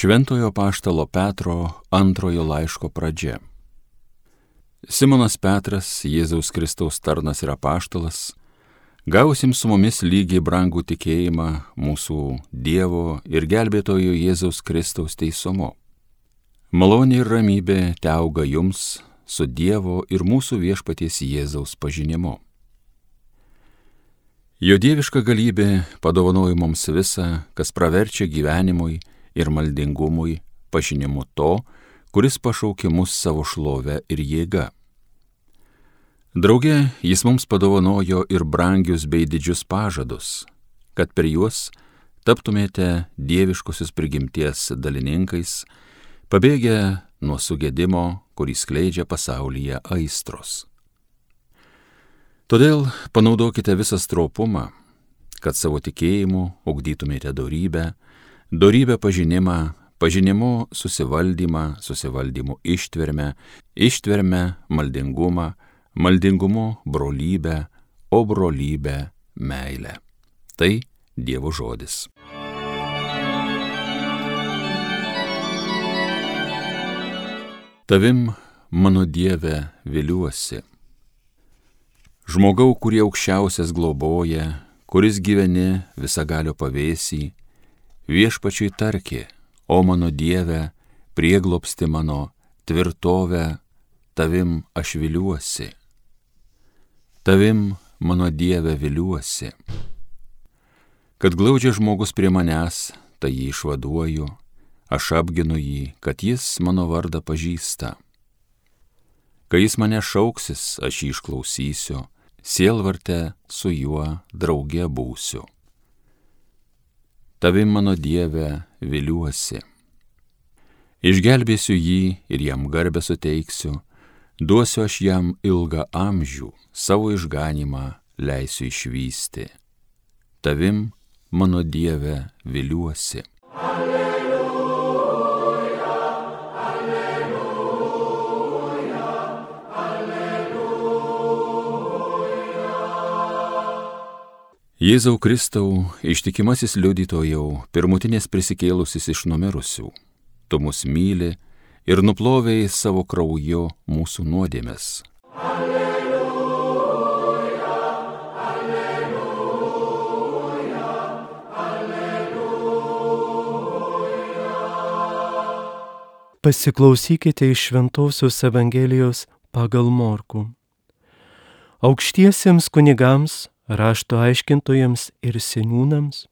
Šventojo apaštalo Petro antrojo laiško pradžia. Simonas Petras, Jėzaus Kristaus tarnas ir apaštalas, gausim su mumis lygiai brangų tikėjimą mūsų Dievo ir gelbėtojo Jėzaus Kristaus teisumu. Malonė ir ramybė teauga jums su Dievo ir mūsų viešpaties Jėzaus pažinimu. Jo dieviška galybė padovanojo mums visą, kas praverčia gyvenimui ir maldingumui, pažinimu to, kuris pašaukė mus savo šlovę ir jėga. Drauge jis mums padovanojo ir brangius bei didžius pažadus, kad per juos taptumėte dieviškosios prigimties dalininkais, pabėgę nuo sugedimo, kurį skleidžia pasaulyje aistros. Todėl panaudokite visą stropumą, kad savo tikėjimu ugdytumėte dorybę, dorybę pažinimą, pažinimu susivaldymą, susivaldymu ištvermę, ištvermę maldingumą, maldingumu brolybę, o brolybę meilę. Tai Dievo žodis. Tavim, mano Dieve, viliuosi. Žmogau, kurie aukščiausias globoja, kuris gyveni visagalio pavėsį, viešpačiui tarki, o mano Dieve, prieglobsti mano, tvirtovę, tavim aš viliuosi. Tavim, mano Dieve, viliuosi. Kad glaudžia žmogus prie manęs, tai jį išvaduoju, aš apginu jį, kad jis mano vardą pažįsta. Kai jis mane šauksis, aš jį išklausysiu, sielvarte su juo drauge būsiu. Tavim, mano Dieve, viliuosi. Išgelbėsiu jį ir jam garbę suteiksiu, duosiu aš jam ilgą amžių, savo išganymą leisiu išvysti. Tavim, mano Dieve, viliuosi. Jėzau Kristau, ištikimasis liudytojau, pirmutinės prisikėlusis iš numirusių, tu mus myli ir nuplovei savo krauju mūsų nuodėmes. Alleluja, alleluja, alleluja. Pasiklausykite iš Šventosios Evangelijos pagal Morkų. Aukštiesiems kunigams, rašto aiškintojams ir seniūnams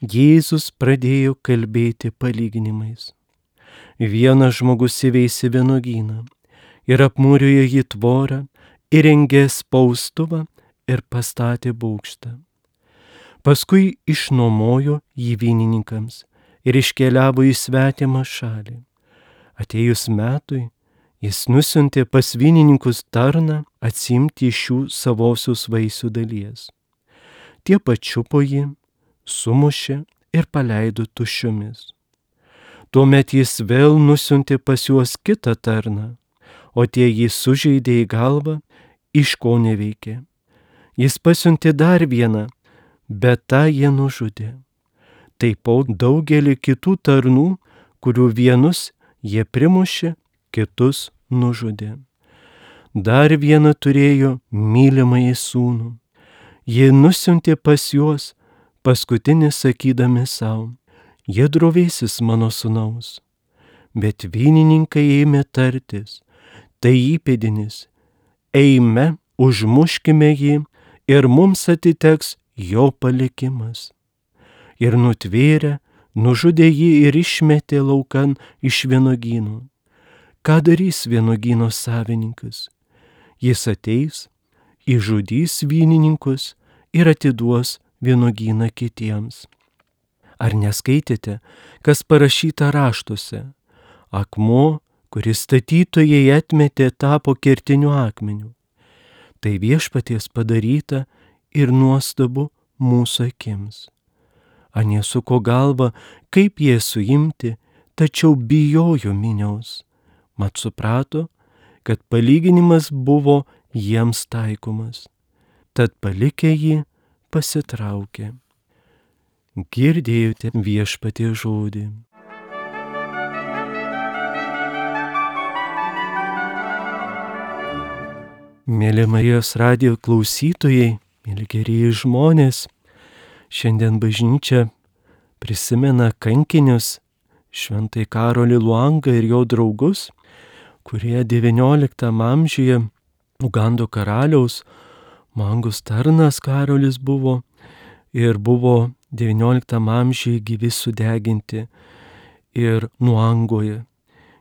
Jėzus pradėjo kalbėti palyginimais. Vienas žmogus įveisė vynuogyną ir apmūrijo jį tvorą, įrengė spaustuvą ir pastatė bokštą. Paskui išnuomojo jį vynininkams ir iškeliavo į svetimą šalį. Atėjus metui, jis nusiuntė pas vynininkus tarną atsiimti iš jų savosios vaisių dalies. Tie pačiupo jį, sumušė ir paleido tuščiomis. Tuomet jis vėl nusiuntė pas juos kitą tarną, o tie jį sužeidė į galvą, iš ko neveikė. Jis pasiuntė dar vieną, bet tą jie nužudė. Taipogi daugelį kitų tarnų, kurių vienus jie primušė, kitus nužudė. Dar vieną turėjo mylimąjį sūnų. Jie nusiuntė pas juos, paskutinį sakydami savo, jie drovėsis mano sūnaus. Bet vynininkai ėmė tartis, tai įpėdinis, eime, užmuškime jį ir mums atiteks jo palikimas. Ir nutvėrė, nužudė jį ir išmetė laukan iš vynuogynų. Ką darys vynuogyno savininkas? Jis ateis, išžudys vynininkus ir atiduos vynuogyną kitiems. Ar neskaitėte, kas parašyta raštuose? Akmuo, kuris statytojai atmetė, tapo kertiniu akmeniu. Tai viešpaties padaryta ir nuostabu mūsų akims. Anie suko galvą, kaip jie suimti, tačiau bijojo minios. Mat suprato, kad palyginimas buvo jiems taikomas. Tad palikę jį pasitraukė. Girdėjote viešpaties žodį. Mėly Marijos radijo klausytojai, mėly gerieji žmonės, šiandien bažnyčia prisimena kankinius Šventąjį Karolį Luangą ir jo draugus, kurie XIX amžiuje Ugando karaliaus Mangus tarnas Karolis buvo ir buvo XIX amžiuje gyvi sudeginti ir Luangoje.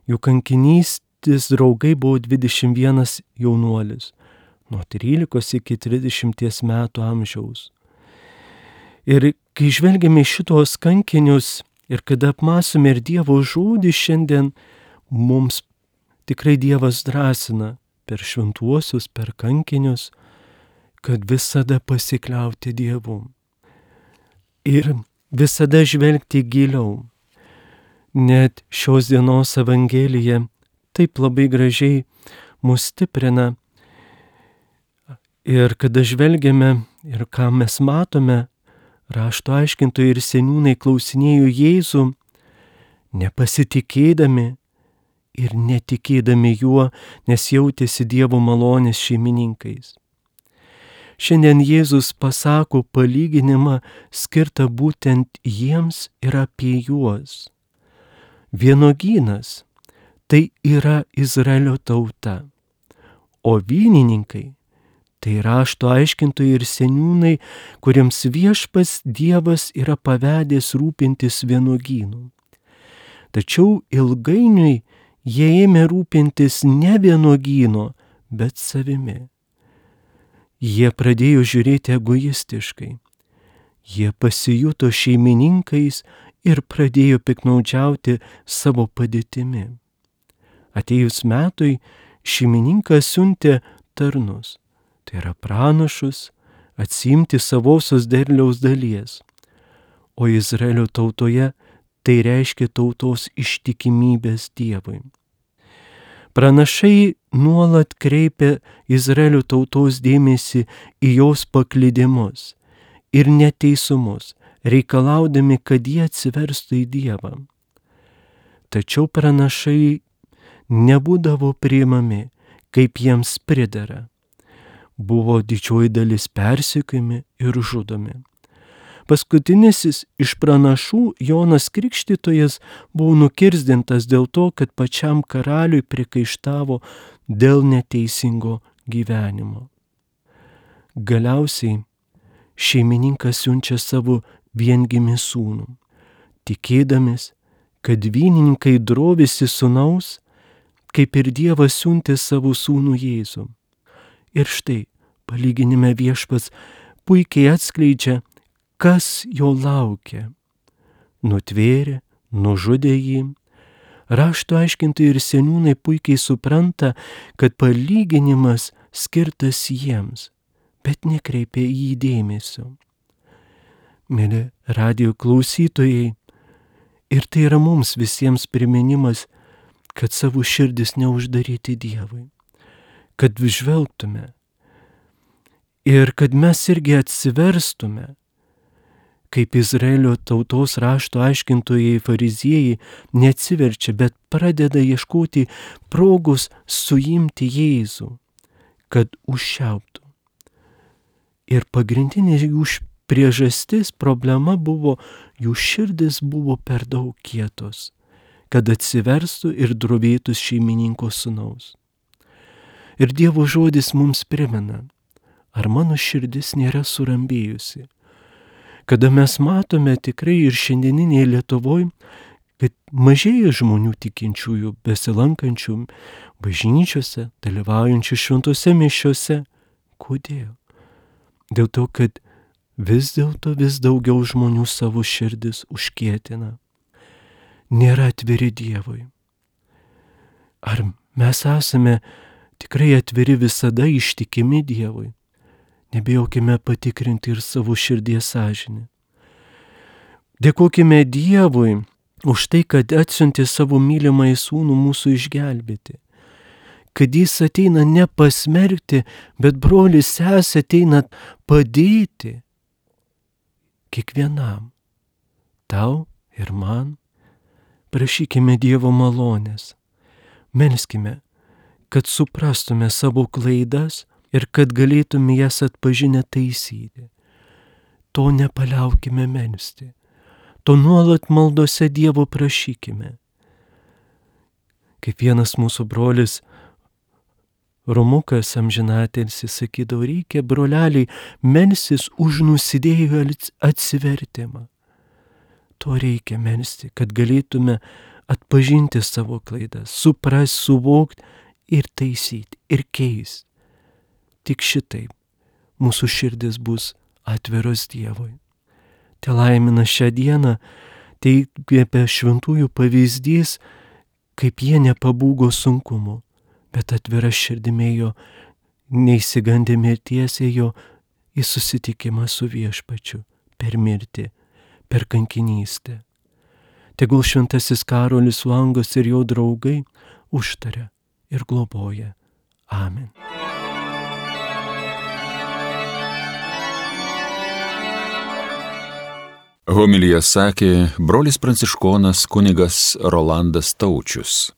Jų kankinystės draugai buvo 21 jaunuolis, nuo 13 iki 30 metų amžiaus. Ir kai žvelgiame šitos kankinius ir kada apmąstome ir Dievo žodį šiandien, mums tikrai Dievas drąsina per šventuosius, per kankinius, kad visada pasikliauti Dievu ir visada žvelgti giliau. Net šios dienos Evangelija taip labai gražiai mus stiprina. Ir kada žvelgiame ir ką mes matome, rašto aiškintojai ir seniūnai klausinėjo Jėzų, nepasitikėdami ir netikėdami juo, nes jautėsi Dievo malonės šeimininkais. Šiandien Jėzus pasako palyginimą skirtą būtent jiems ir apie juos. Vynuogynas tai yra Izraelio tauta, o vynininkai tai rašto aiškintojai ir seniūnai, kuriems Viešpats Dievas yra pavedęs rūpintis vynuogynu. Tačiau ilgainiui jie ėmė rūpintis ne vynuogyno, bet savimi. Jie pradėjo žiūrėti egoistiškai. Jie pasijuto šeimininkais ir pradėjo piknaudžiauti savo padėtimi. Atėjus metui šeimininkas siuntė tarnus, tai yra pranašus, atsiimti savosios derliaus dalies, o Izraelio tautoje tai reiškia tautos ištikimybės Dievui. Pranašai nuolat kreipia Izraelio tautos dėmesį į jos paklydimus ir neteisumus, reikalaudami, kad jie atsiverstų į Dievą. Tačiau pranašai nebūdavo priimami, kaip jiems pridera. Buvo didžioji dalis persekiojami ir žudomi. Paskutinis iš pranašų, Jonas Krikštytojas, buvo nukirsdintas dėl to, kad pačiam karaliui prikaištavo dėl neteisingo gyvenimo. Galiausiai šeimininkas siunčia savo viengimį sūnų, tikėdamis, kad vynininkai drovisi sūnaus, kaip ir Dievas siuntė savo sūnų Jėzų. Ir štai, palyginime Viešpats puikiai atskleidžia, kas jo laukia. Nutvėrė, nužudė jį. Rašto aiškintojai ir seniūnai puikiai supranta, kad palyginimas skirtas jiems, bet nekreipia į jį dėmesio. Mėly radijo klausytojai, ir tai yra mums visiems priminimas, kad savo širdis neuždaryti Dievui, kad žvelgtume ir kad mes irgi atsiverstume, kaip Izraelio tautos rašto aiškintojai fariziejai neatsiverčia, bet pradeda ieškoti progos suimti Jėzų, kad užšiauptų. Ir pagrindinė jų priežastis, problema buvo, jų širdis buvo per daug kietos, kad atsiverstų ir drovėtų šeimininko sūnaus. Ir Dievo žodis mums primena, ar mano širdis nėra surambėjusi. Kada mes matome tikrai ir šiandieninėje Lietuvoje, kad mažėja žmonių tikinčiųjų, besilankančių bažnyčiose, dalyvaujančių šventose mišiose. Kodėl? Dėl to, kad vis daugiau žmonių savo širdis užkietina. Nėra atviri Dievui. Ar mes esame tikrai atviri visada, ištikimi Dievui? Nebijokime patikrinti ir savo širdies sąžinę. Dėkokime Dievui už tai, kad atsiuntė savo mylimąjį sūnų mūsų išgelbėti. Kad jis ateina ne pasmerkti, bet brolis sesė ateina padėti kiekvienam, tau ir man. Prašykime Dievo malonės, melskime, kad suprastume savo klaidas ir kad galėtume jas atpažinę taisyti. To nepaliaukime melsti, to nuolat maldose Dievo prašykime. Kaip vienas mūsų brolis Romukas amžinatilsis sakydavo, reikia, broleliai, melstis už nusidėjėlių atsivertimą. To reikia melsti, kad galėtume atpažinti savo klaidas, suprasti, suvokti ir taisyti, ir keisti. Tik šitaip mūsų širdis bus atviros Dievui. Te laimina šią dieną, tai apie šventųjų pavyzdys, kaip jie nepabūgo sunkumu, bet atvira širdimėjo, neįsigandė mirties, ėjo į susitikimą su Viešpačiu per mirtį, per kankinystę. Tegul šventasis Karolis Langas ir jo draugai užtaria ir globoja. Amen. Homiliją sakė brolis pranciškonas kunigas Rolandas Taučius.